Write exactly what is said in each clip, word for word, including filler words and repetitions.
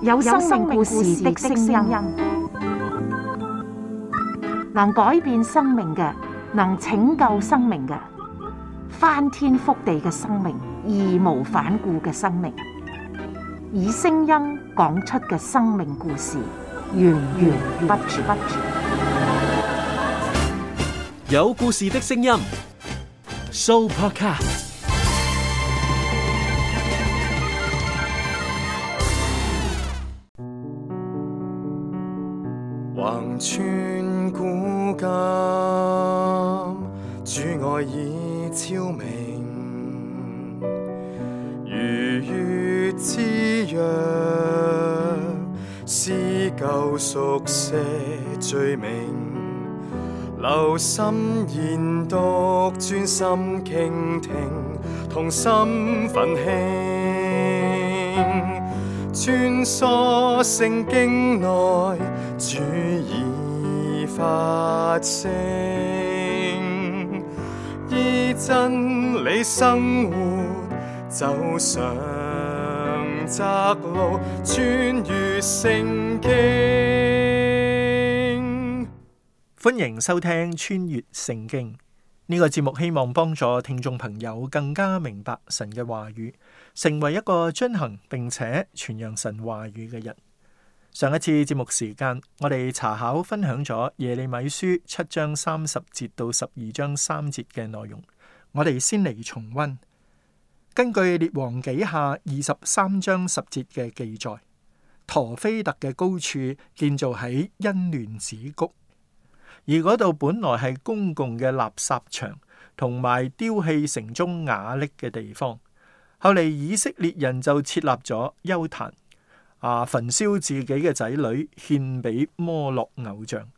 有生命故事的聲音，能改變生命嘅，能拯救生命嘅，翻天覆地嘅生命，義無反顧嘅生命，以聲音講出嘅生命故事，源源不絕。有故事的聲音 ，Sooo Podcast。橫穿古今，主愛已超明，如月之約，撕舊熟寫罪名，留心研讀，專心傾聽，同心奮興，穿梭聖經內，主已發聲，依真理生活，走上窄路，穿越聖經。歡迎收聽穿越聖經呢個節目，希望幫助聽眾朋友更加明白神嘅話語，成為一個遵行並且傳揚神話語嘅人。上一次節目時間，我哋查考分享咗耶利米書七章三十節到十二章三節嘅內容，我哋先嚟重溫。根據列王紀下二十三章十節嘅記載，陀斐特嘅高處建造喺欣嫩子谷，而嗰度本來係公共嘅垃圾場同埋丟棄城中瓦礫嘅地方，後嚟以色列人就設立咗邱壇，啊，焚燒自己嘅仔女獻俾摩洛偶像。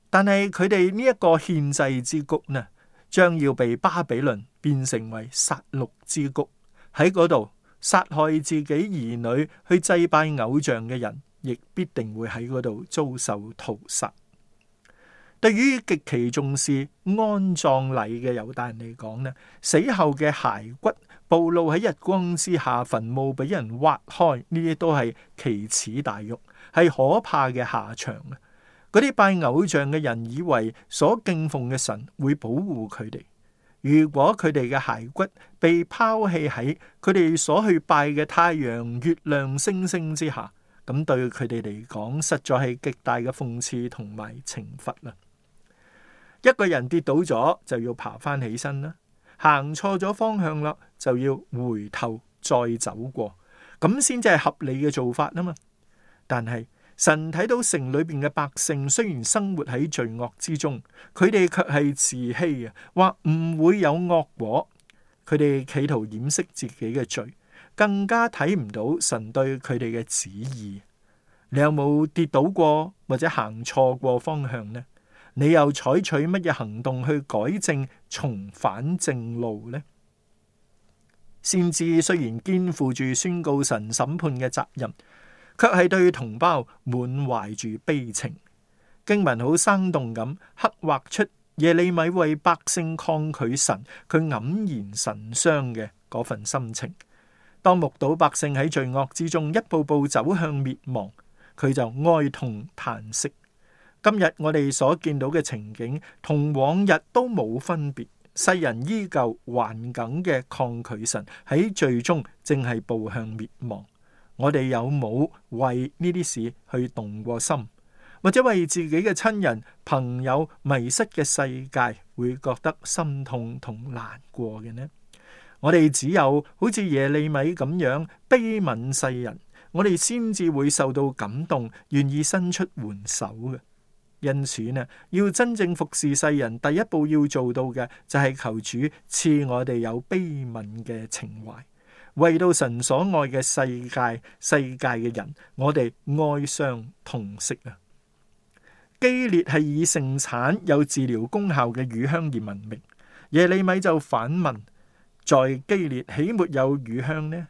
但係佢哋呢一個獻祭之谷呢，將要被巴比倫變成為殺戮之谷。喺嗰度殺害自己兒女去祭拜偶像嘅人，亦必定會喺嗰度遭受屠殺。對於極其重視安葬禮嘅猶大人嚟講呢，死後嘅骸骨暴露喺日光之下，墳墓俾人挖開，呢啲都係奇恥大辱，係可怕嘅下場。嗰啲拜偶像嘅人以為所敬奉嘅神會保護佢哋，如果佢哋嘅骸骨被拋棄喺佢哋所去拜嘅太陽、月亮、星星之下，咁對佢哋嚟講，實在係極大嘅諷刺同埋懲罰啦。一個人跌倒咗就要爬翻起身啦，行錯咗方向啦就要回頭再走過，咁先至係合理嘅做法啊嘛。但係神睇到城裏邊嘅百姓雖然生活喺罪惡之中，佢哋卻係自欺啊，話唔會有惡果。佢哋企圖掩飾自己嘅罪，更加睇唔到神對佢哋嘅旨意。你有冇跌倒過或者行錯過方向呢？你又採取乜嘢行動去改正、重返正路呢？先知雖然肩負住宣告神審判嘅責任，卻係對同胞滿懷住悲情。經文好生動咁刻畫出耶利米為百姓抗拒神，佢黯然神傷嘅嗰份心情。當目睹百姓喺罪惡之中一步步走向滅亡，佢就哀痛嘆息。今日我哋所見到嘅情景同往日都冇分別，世人依舊頑梗嘅抗拒神，喺最終正係步向滅亡。我哋有冇為呢啲事去動過心，或者為自己嘅親人朋友迷失嘅世界會覺得心痛同難過嘅呢？我哋只有好似耶利米咁樣悲憫世人，我哋先至會受到感動，願意伸出援手嘅。因此呢，要真正服侍世人，第一步要做到嘅就係求主賜我哋有悲憫嘅情懷，為到神所愛嘅世界、世界嘅人，我哋哀傷痛惜啊！基列係以盛產有治療功效嘅乳香而聞名，耶利米就反問：在基列豈沒有乳香呢？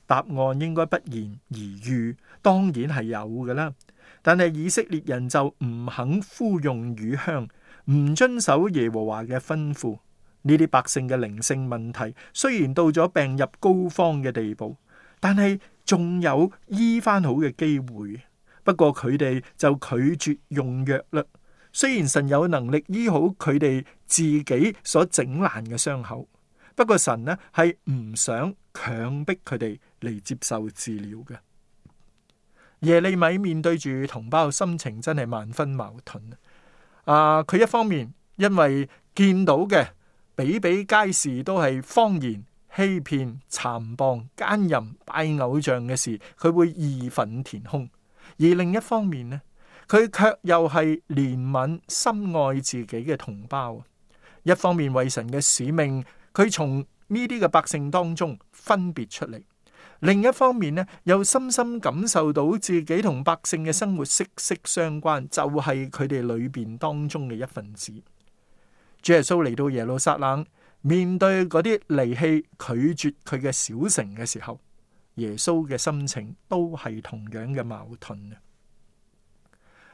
答案應該不言而喻，當然係有㗎啦。但係以色列人就唔肯呼用乳香，唔遵守耶和華嘅吩咐。呢啲百姓嘅靈性問題雖然到咗病入膏肓嘅地步，但係仲有醫翻好嘅機會，不過佢哋就拒絕用藥啦。雖然神有能力醫好佢哋自己所整爛嘅傷口，不過神呢係唔想強迫佢哋嚟接受治療嘅。耶利米面對住同胞，心情真係萬分矛盾啊！佢一方面因為見到嘅比比皆是都係謊言、欺騙、殘暴、奸淫、拜偶像嘅事，佢會義憤填膺；而另一方面呢，佢卻又係憐憫、深愛自己嘅同胞。一方面為神嘅使命，佢從呢啲嘅百姓當中分別出嚟；另一方面呢，又深深感受到自己同百姓嘅生活息息相關，就係佢哋裏邊當中嘅一份子。主耶穌嚟到耶路撒冷，面對嗰啲離棄、拒絕佢嘅小城嘅時候，耶穌嘅心情都係同樣嘅矛盾啊！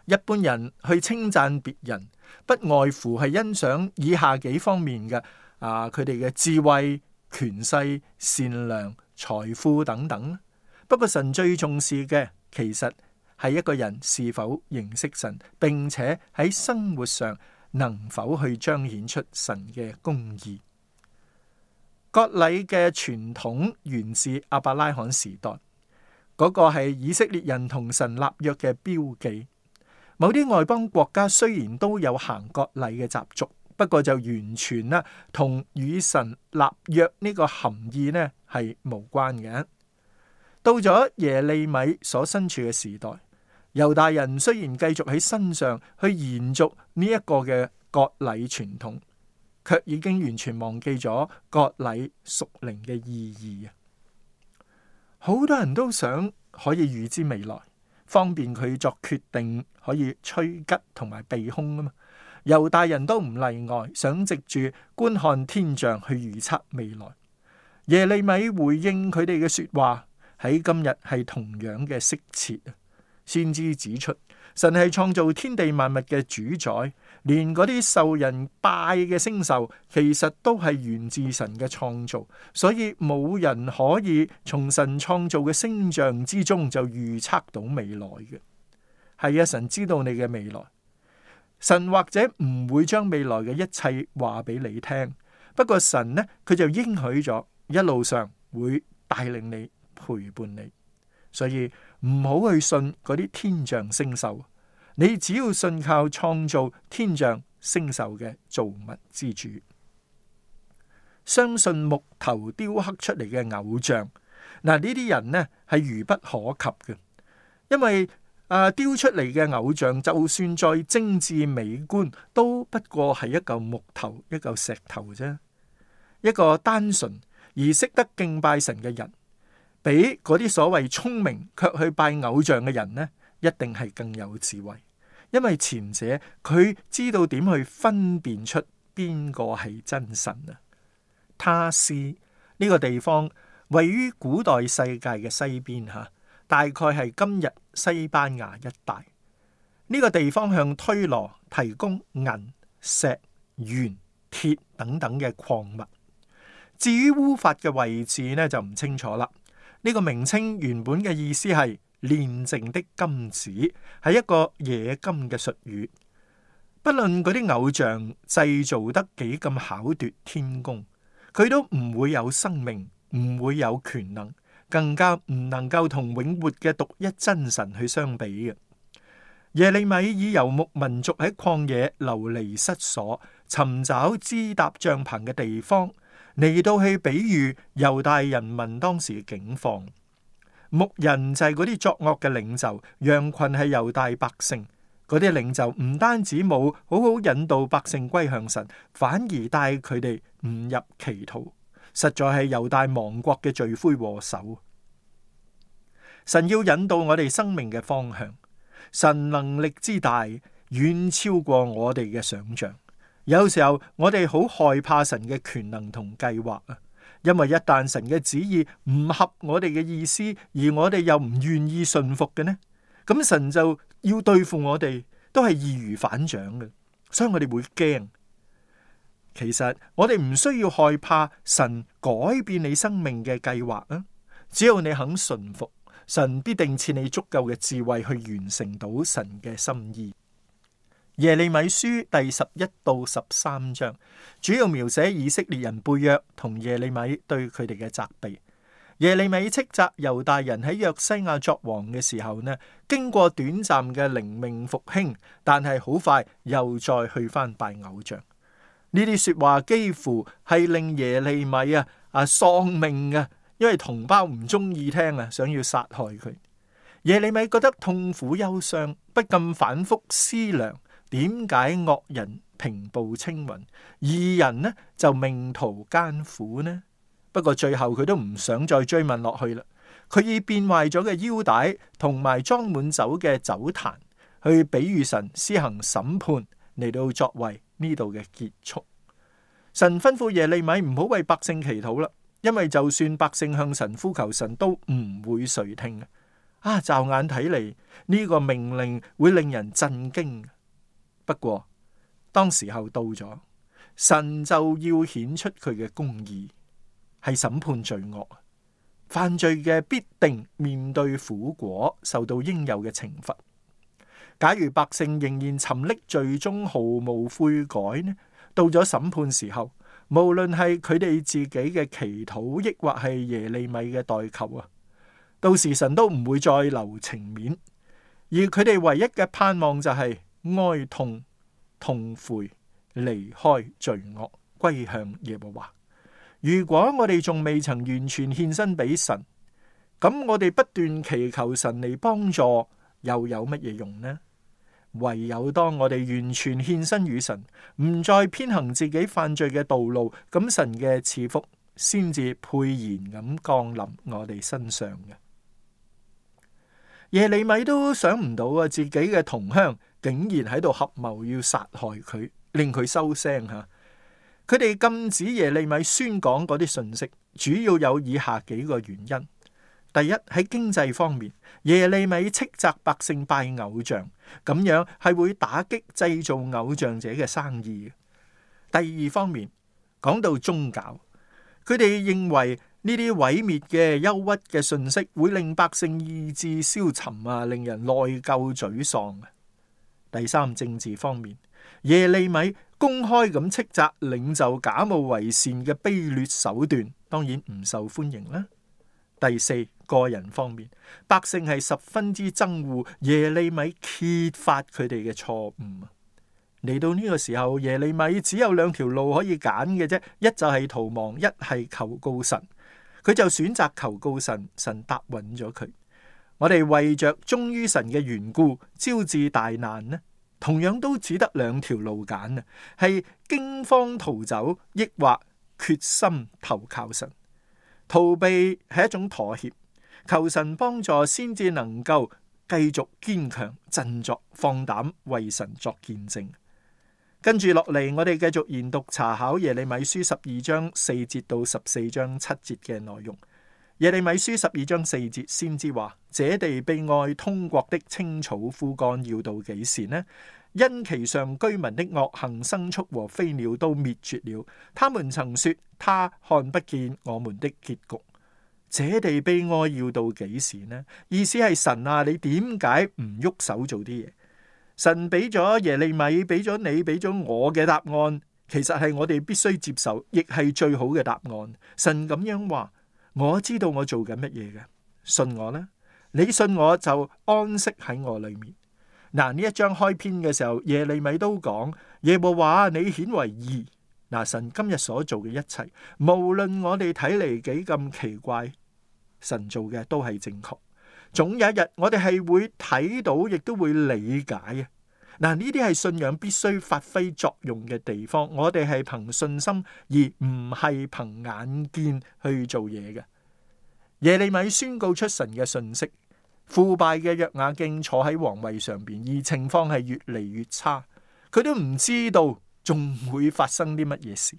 一般人去稱讚別人，不外乎係欣賞以下幾方面嘅啊，佢哋嘅智慧、權勢、善良、財富等等。不過神最重視嘅，其實係一個人是否認識神，並且喺生活上能否去彰顯出神嘅公義。割禮嘅傳統源自亞伯拉罕時代，嗰個係以色列人同神立約嘅標記。某啲外邦國家雖然都有行割禮嘅習俗，不過就完全啦同與神立約呢個含義呢係無關嘅。到咗耶利米所身處嘅時代，猶大人雖然繼續喺身上去延續呢一個嘅割禮傳統，卻已經完全忘記咗割禮屬靈嘅意義啊！好多人都想可以預知未來，方便佢作決定，可以趨吉同埋避凶啊嘛。猶大人都唔例外，想藉住觀看天象去預測未來。耶利米回應佢哋嘅說話，喺今日係同樣嘅適切啊！先知指出，神係創造天地萬物嘅主宰，連嗰啲受人拜嘅星宿，其實都係源自神嘅創造，所以冇人可以從神創造嘅星象之中就預測到未來嘅。係啊，神知道你嘅未來，神或者唔會將未來嘅一切話俾你聽，不過神呢，佢就應許咗一路上會帶領你，陪伴你，所以唔好去信嗰啲天象星宿，你只要信靠創造天象星宿嘅造物之主，相信木頭雕刻出嚟嘅偶像。嗱，呢啲人呢係愚不可及嘅，因為啊雕出嚟嘅偶像就算再精緻美觀，都不過係一嚿木頭、一嚿石頭啫。一個單純而識得敬拜神嘅人，比嗰啲所謂聰明卻去拜偶像嘅人呢，一定係更有智慧。因為前者佢知道點去分辨出邊個係真神啊。他施呢個地方位於古代世界嘅西邊吓，大概係今日西班牙一帶。呢個地方向推羅提供銀、石、鉛、鐵等等嘅礦物。至於烏法嘅位置呢，就唔清楚啦。呢個名稱原本嘅意思係煉淨的金子，係一個冶金嘅術語。不論嗰啲偶像製造得幾咁巧奪天工，佢都唔會有生命，唔會有權能，更加唔能夠同永活嘅獨一真神去相比嘅。耶利米以游牧民族喺曠野流離失所，尋找支搭帳篷嘅地方，嚟到去比喻猶大人民當時嘅境況。牧人就係嗰啲作惡嘅領袖，羊群係猶大百姓。嗰啲領袖唔單止冇好好引導百姓歸向神，反而帶佢哋誤入歧途，實在係猶大亡國嘅罪魁禍首。神要引導我哋生命嘅方向，神能力之大遠超過我哋嘅想象。有時候我哋好害怕神嘅權能同計劃啊，因為一旦神嘅旨意唔合我哋嘅意思，而我哋又唔願意順服嘅呢，咁神就要對付我哋，都係易如反掌嘅，所以我哋會驚。其實我哋唔需要害怕神改變你生命嘅計劃啊，只要你肯順服，神必定賜你足夠嘅智慧去完成到神嘅心意。耶利米書第十一到十三章主要描寫以色列人背約同耶利米對佢哋嘅責備。耶利米斥責猶大人喺約西亞作王嘅時候呢，經過短暫嘅靈命復興，但係好快又再去翻拜偶像。呢啲說話幾乎係令耶利米啊啊喪命啊，因為同胞唔中意聽啊，想要殺害佢。耶利米覺得痛苦憂傷，不禁反覆思量，點解惡人平步青雲，義人呢就命途艱苦呢？不過最後佢都唔想再追問落去啦。佢以變壞咗嘅腰帶同埋裝滿酒嘅酒壇去比喻神施行審判，嚟到作為呢度嘅結束。神吩咐耶利米唔好為百姓祈禱啦，因為就算百姓向神呼求，神都唔會垂聽啊！驟眼睇嚟呢個命令會令人震驚。不過當時候到咗，神就要顯出佢嘅公義，係審判罪惡，犯罪嘅必定面對苦果，受到應有嘅懲罰。假如百姓仍然沉溺罪中，毫無悔改呢？到咗審判時候，無論係佢哋自己嘅祈禱，抑或係耶利米嘅代求啊，到時神都唔會再留情面，而佢哋唯一嘅盼望就係哀痛、痛悔、離開罪惡，歸向耶和華。如果我哋仲未曾完全獻身俾神，咁我哋不斷祈求神嚟幫助，又有乜嘢用呢？唯有當我哋完全獻身於神，唔再偏行自己犯罪嘅道路，咁神嘅賜福先至沛然咁降臨我哋身上嘅。耶利米都想唔到啊，自己嘅同鄉竟然喺度合謀要殺害佢，令佢收聲吓。佢哋禁止耶利米宣講嗰啲信息，主要有以下幾個原因。第一，喺經濟方面，耶利米斥責百姓拜偶像，咁樣係會打擊製造偶像者嘅生意。第二方面，講到宗教，佢哋認為呢啲毀滅嘅憂鬱嘅信息會令百姓意志消沉啊，令人內疚沮喪。第三，政治方面，耶利米公開咁斥責領袖假冒為善嘅卑劣手段，當然唔受歡迎啦。第四，個人方面，百姓係十分之憎惡耶利米揭發佢哋嘅錯誤。嚟到呢個時候，耶利米只有兩條路可以揀嘅啫，一就係逃亡，一係求告神。佢就選擇求告神，神答允咗佢。我哋為着忠於神嘅緣故，招致大難呢，同樣都只得兩條路揀啊，係驚慌逃走，抑或決心投靠神。逃避係一種妥協，求神幫助先至能夠繼續堅強振作，放膽為神作見證。跟住落嚟，我哋繼續研讀查考耶利米書十二章四節到十四章七節嘅內容。耶利米書十二章四節先知話：這地悲哀，通國的青草枯乾，要到幾時呢？因其上居民的惡行，牲畜和飛鳥都滅絕了。他們曾說：他看不見我們的結局。這地悲哀要到幾時呢？意思係神啊，你點解唔喐手做啲嘢？神俾咗耶利米，俾咗你，俾咗我嘅答案，其實係我哋必須接受，亦係最好嘅答案。神咁樣話：我知道我做緊乜嘢嘅，信我啦。你信我就安息喺我裏面。嗱，呢一章開篇嘅時候，耶利米都講：耶和華你顯為義。嗱，神今日所做嘅一切，無論我哋睇嚟幾咁奇怪，神做嘅都係正確。總有一日，我哋係會睇到，亦都會理解啊！嗱，呢啲係信仰必須發揮作用嘅地方。我哋係憑信心，而唔係憑眼見去做嘢嘅。耶利米宣告出神嘅信息。腐敗嘅約雅敬坐喺皇位上邊，而情況係越嚟越差。佢都唔知道仲會發生啲乜嘢事。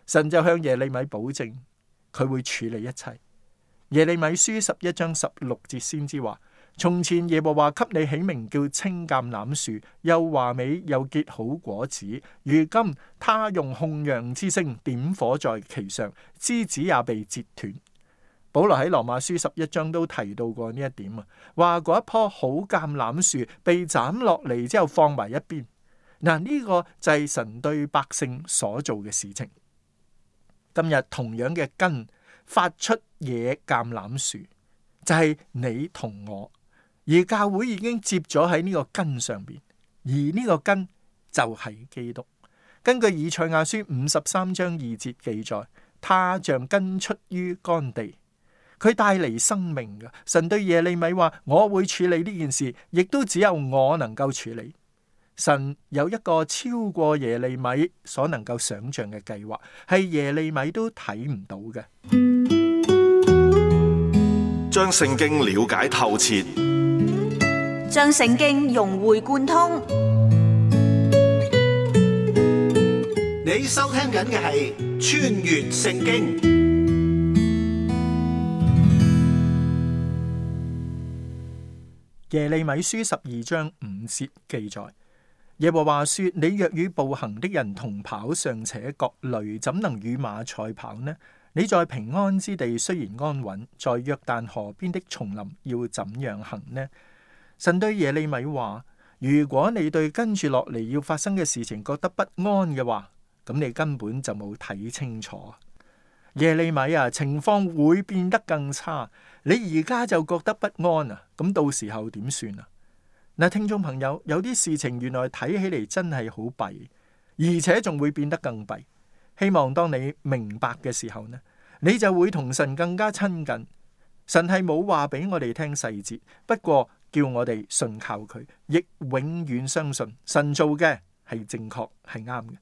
神就向耶利米保證，佢會處理一切。耶利米書十一章十六節先知話：從前耶和華給你起名叫青橄欖樹，又華美又結好果子。如今他用控羊之聲點火在其上，枝子也被折斷。保羅喺羅馬書十一章都提到過呢一點啊，話嗰一棵好橄欖樹被斬落嚟之後放埋一邊。嗱，呢個就係神對百姓所做嘅事情。今日同樣嘅根發出野橄欖樹，就係你同我，而教會已經接咗喺呢個根上邊，而呢個根就係基督。根據以賽亞書五十三章二節記載，他像根出於乾地，佢帶嚟生命嘅。神對耶利米話：我會處理呢件事，亦都只有我能夠處理。神有一個超過耶利米所能夠想象嘅計劃，係耶利米都睇唔到嘅。將聖經了解透徹，將聖經融會貫通。你收聽緊嘅係《穿越聖經》。耶利米書十二章五節記載：耶和華說，你若與步行的人同跑，尚且覺累，怎能與馬賽跑呢？你在平安之地雖然安穩，在約旦河邊的叢林要怎樣行呢？神對耶利米話：如果你對跟住落嚟要發生嘅事情覺得不安嘅話，咁你根本就冇睇清楚。耶利米啊，情況會變得更差，你而家就覺得不安啊，咁到時候點算啊？嗱，聽眾朋友，有啲事情原來睇起嚟真係好弊，而且仲會變得更弊。希望當你明白嘅時候呢，你就會同神更加親近。神係冇話俾我哋聽細節，不過叫我哋信靠佢，亦永遠相信神做嘅係正確係啱嘅。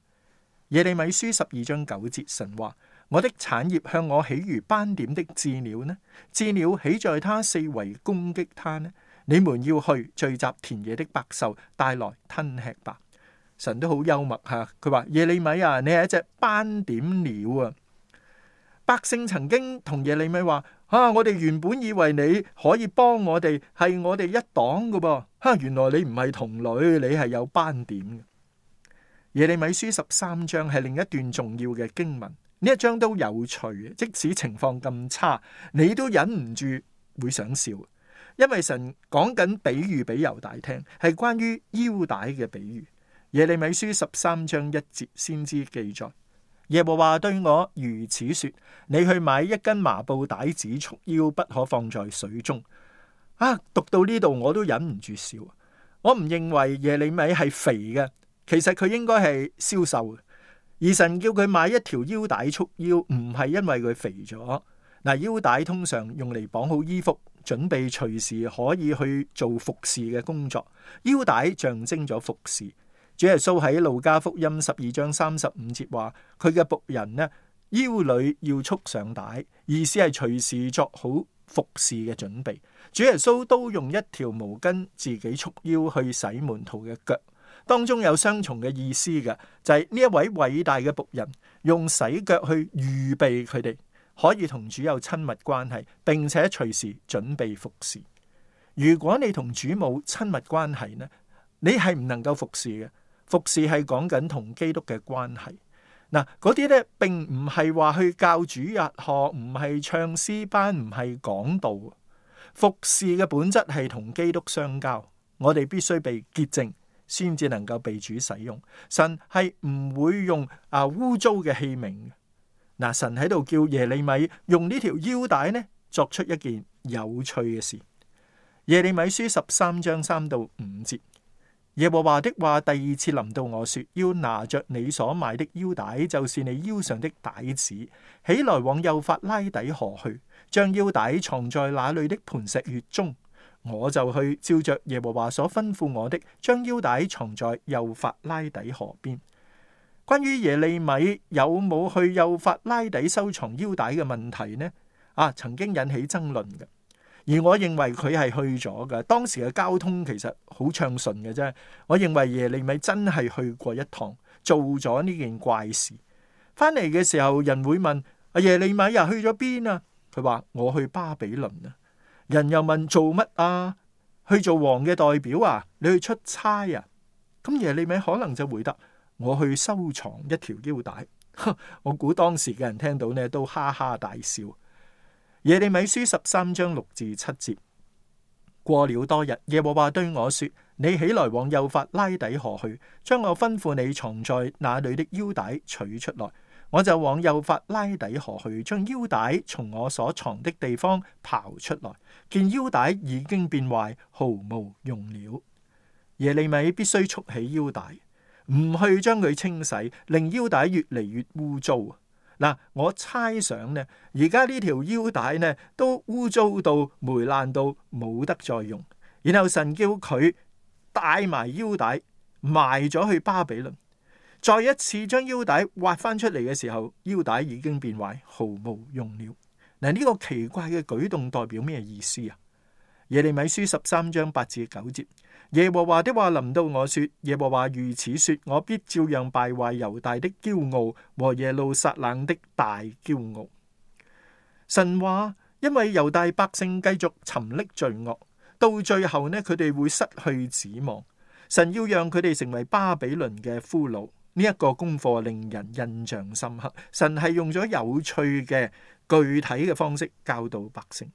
耶利米書十二章九節，神話：我的產業向我起如斑點的鷙鳥呢？鷙鳥起在他四圍攻擊他呢？你們要去聚集田野的百獸，帶來吞吃吧。神都好幽默吓，佢話：耶利米啊，你係一隻斑點鳥啊！百姓曾經同耶利米話：啊，我哋原本以為你可以幫我哋，係我哋一黨噶噃，吓、啊，原來你唔係同類，你係有斑點嘅。耶利米書十三章係另一段重要嘅經文，呢一章都有趣，即使情況咁差，你都忍唔住會想笑，因為神講緊比喻俾猶大聽，係關於腰帶嘅比喻。耶利米書十三章一節先知記載：耶和華對我如此說，你去買一根麻布帶子束腰，不可放在水中。啊，讀到呢度我都忍唔住笑。我唔認為耶利米係肥嘅。其實佢應該係消瘦嘅，而神叫佢買一條腰帶束腰，唔係因為佢肥咗。嗱，腰帶通常用嚟綁好衣服，準備隨時可以去做服侍嘅工作。腰帶象徵咗服侍。主耶穌喺路加福音十二章三十五節話：佢嘅僕人呢，腰裏要束上帶，意思係隨時作好服侍嘅準備。主耶穌都用一條毛巾自己束腰去洗門徒嘅腳。當中有雙重嘅意思嘅，就係呢一位偉大嘅僕人用洗腳去預備佢哋可以同主有親密關係，並且隨時準備服侍。如果你同主冇親密關係呢，你係唔能夠服侍嘅。服侍係講緊同基督嘅關係。嗱，嗰啲咧並唔係話去教主日學，唔係唱詩班，唔係講道。服侍嘅本質係同基督相交，我哋必須被潔淨，先至能夠被主使用。神係唔會用啊污糟嘅器皿。嗱，神喺度叫耶利米用呢條腰帶呢，作出一件有趣嘅事。耶利米書十三章三到五節，耶和華的話第二次臨到我說：要拿着你所買的腰帶，就是你腰上的帶子，起來往幼發拉底河去，將腰帶藏在那裏的磐石穴中。我就去照着耶和華所吩咐我的，將腰帶藏在幼發拉底河邊。關於耶利米有冇去幼發拉底收藏腰帶嘅問題呢？啊，曾經引起爭論嘅。而我認為佢係去咗嘅。當時嘅交通其實好暢順嘅啫。我認為耶利米真係去過一趟，做咗呢件怪事。翻嚟嘅時候，人會問：阿耶利米啊，去咗邊啊？佢話：我去巴比倫啊。人又問：做乜啊？去做王嘅代表啊？你去出差啊？咁耶利米可能就回答：我去收藏一條腰帶。我估當時嘅人聽到呢都哈哈大笑。耶利米書十三章六至七節。過了多日，耶和華對我說：你起來往幼發拉底河去，將我吩咐你藏在那裏的腰帶取出來。我就往幼發拉底河去，將腰帶從我所藏的地方刨出來，見腰帶已經變壞，毫無用了。耶利米必須束起腰帶，唔去將佢清洗，令腰帶越嚟越污糟。嗱，我猜想呢，而家呢條腰帶呢都污糟到霉爛到冇得再用。然後神叫佢帶埋腰帶埋咗去巴比倫，再一次將腰帶挖翻出嚟嘅時候，腰帶已經變壞，毫無用了。嗱，呢個奇怪嘅舉動代表咩意思啊？耶利米書十三章八至九節。耶和華的話臨到我說，耶和華如此說，我必照樣敗壞猶大的驕傲和耶路撒冷的大驕傲。神話因為猶大百姓繼續沉溺罪惡，到最後呢，佢哋會失去指望。神要讓佢哋成為巴比倫嘅俘虜。呢、這、一個功課令人印象深刻。神係用咗有趣嘅具體嘅方式教導百姓。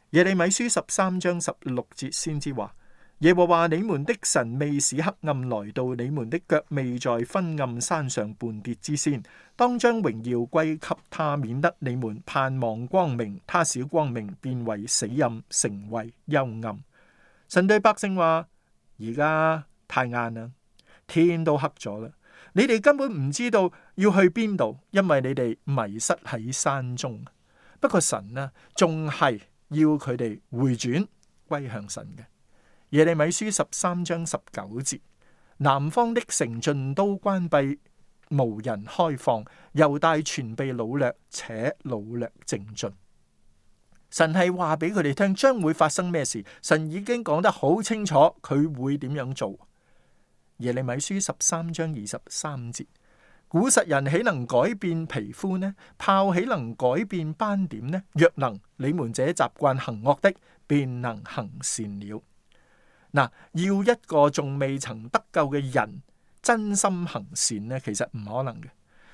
耶利米書十三章十六節先知話，耶和華你們的神未使黑暗來到，你們的腳未在昏暗山上絆跌之先，當將榮耀歸給他，免得你們盼望光明，他使光明變為死暗，成為幽暗。神對百姓話：而家太晏啦，天都黑咗啦，你哋根本唔知道要去邊度，因為你哋迷失喺山中。不過神呢，仲係要佢哋回轉歸向神嘅。耶利米書十三章十九節，南方的城盡都關閉，無人開放，猶大全被擄掠，且擄掠淨盡。神係話俾佢哋聽將會發生咩事，神已經講得好清楚，佢會點樣做。耶利米書十三章二十三節，古實人豈能改變皮膚呢？豹豈能改變斑點呢？若能，你們這習慣行惡的，便能行善了。嗱，要一個仲未曾得救嘅人真心行善呢，其實唔可能嘅。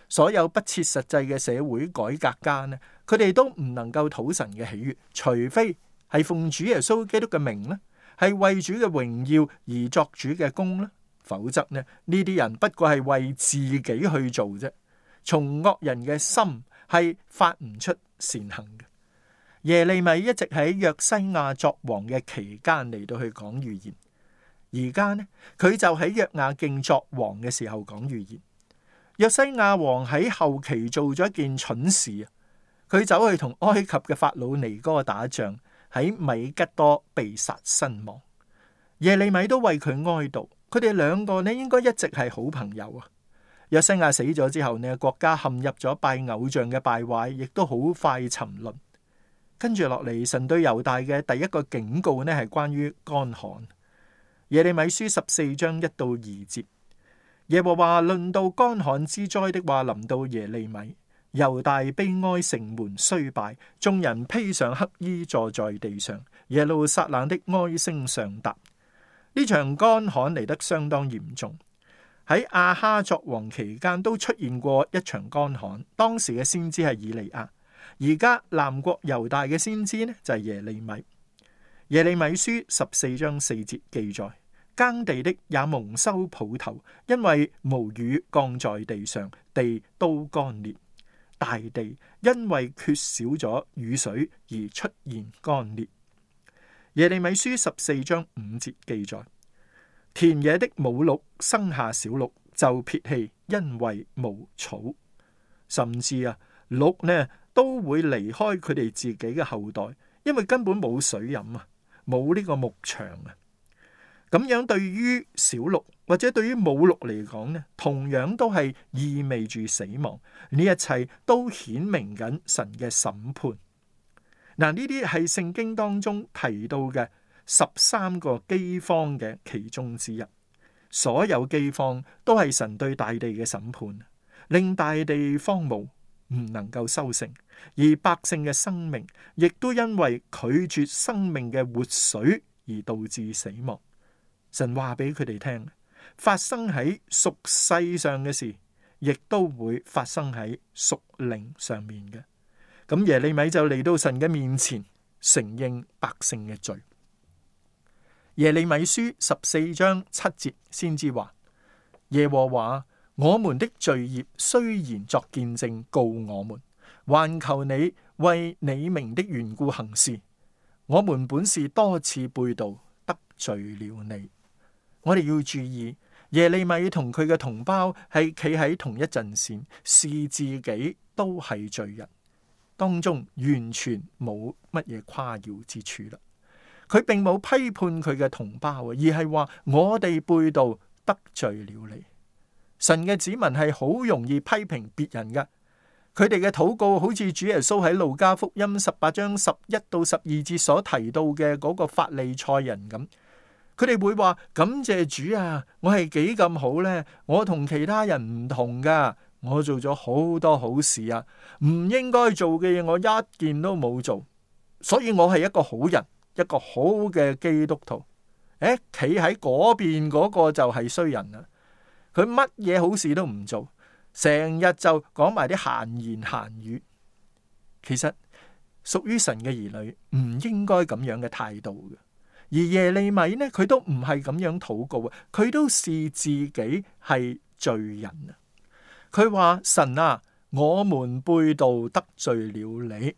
所有不切實際嘅社會改革家呢，佢哋都唔能夠討神嘅喜悅，除非係奉主耶穌基督嘅名呢，係為主嘅榮耀而作主嘅工呢，否則呢，呢啲人不過係為自己去做啫。從惡人嘅心係發唔出善行嘅。耶利米一直喺約西亞作王嘅期間嚟到去講預言，而家呢，佢就喺約雅敬作王嘅時候講預言。約西亞王喺後期做咗一件蠢事啊，佢走去同埃及嘅法老尼哥打仗，喺米吉多被殺身亡。耶利米都為佢哀悼，佢哋兩個呢應該一直係好朋友啊。約西亞死咗之後呢，國家陷入咗拜偶像嘅敗壞，亦都好快沉淪。跟住落嚟，神對猶大嘅第一個警告呢，係關於乾旱。耶利米書十四章一到二節，耶和華論到乾旱之災的話臨到耶利米，猶大悲哀，城門衰敗，眾人披上黑衣坐在地上，耶路撒冷的哀聲上達。呢場乾旱嚟得相當嚴重，喺亞哈作王期間都出現過一場乾旱，當時嘅先知係以利亞。而家南國猶大嘅先知呢，就係耶利米。耶利米書十四章四節記載，耕地的也蒙羞抱頭，因為無雨降在地上，地都乾裂。大地因為缺少咗雨水而出現乾裂。耶利米書十四章五節記載，田野的母鹿生下小鹿就撇棄，因為無草。甚至啊，鹿呢都會離開佢哋自己嘅後代，因為根本冇水飲啊，冇呢個牧場啊。咁樣對於小鹿或者對於母鹿嚟講呢，同樣都係意味住死亡。呢一切都顯明緊神嘅審判。嗱，呢啲係聖經當中提到嘅十三個饑荒嘅其中之一。所有饑荒都係神對大地嘅審判，令大地荒蕪，唔能夠收成，而百姓嘅生命亦都因為拒絕生命嘅活水而導致死亡。神話俾佢哋聽，發生喺屬世上嘅事，亦都會發生喺屬靈上面嘅。咁耶利米就嚟到神嘅面前，承認百姓嘅罪。耶利米書十四章七節先知話：耶和華，我們的罪孽雖然作見證告我們，還求你為你名的緣故行事。我們本是多次背道得罪了你。我哋要注意，耶利米同佢嘅同胞係企喺同一陣線，視自己都係罪人，當中完全冇乜嘢誇耀之處啦。佢並冇批判佢嘅同胞，而係話我哋背道得罪了你。神嘅子民係好容易批評別人嘅，佢哋嘅禱告好似主耶穌喺路加福音十八章十一到十二節所提到嘅嗰個法利賽人咁。佢哋會話，感謝主啊，我係幾咁好呢？我同其他人唔同噶，我做咗好多好事啊，唔應該做嘅嘢我一件都冇做，所以我係一個好人，一個好嘅基督徒。誒，企喺嗰邊嗰個就係衰人啊！佢乜嘢好事都唔做，成日就講埋啲閒言閒語。其實屬於神嘅兒女唔應該咁樣嘅態度嘅。而耶利米呢，佢都唔係咁樣禱告啊，佢都視自己係罪人啊。佢話，神啊，我們背道得罪了你。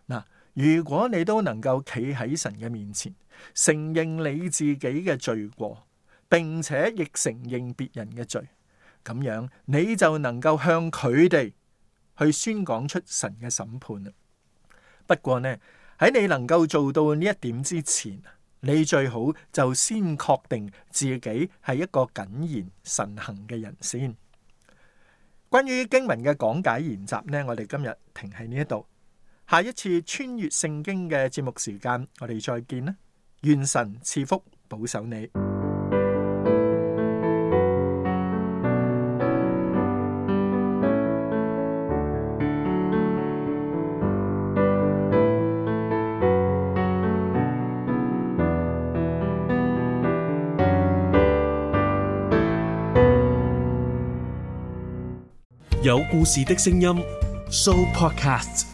嗱，如果你都能夠企喺神嘅面前，承認你自己嘅罪過，並且亦承認別人嘅罪，咁樣你就能夠向佢哋去宣講出神嘅審判啦。不過呢，喺你能夠做到呢一點之前，你最好就先確定自己係一個謹言慎行嘅人先。關於經文嘅講解研習呢，我哋今日停喺呢一度。下一次穿越聖經嘅節目時間，我哋再見啦！願神賜福保守你。有故事的聲音 Show Podcast。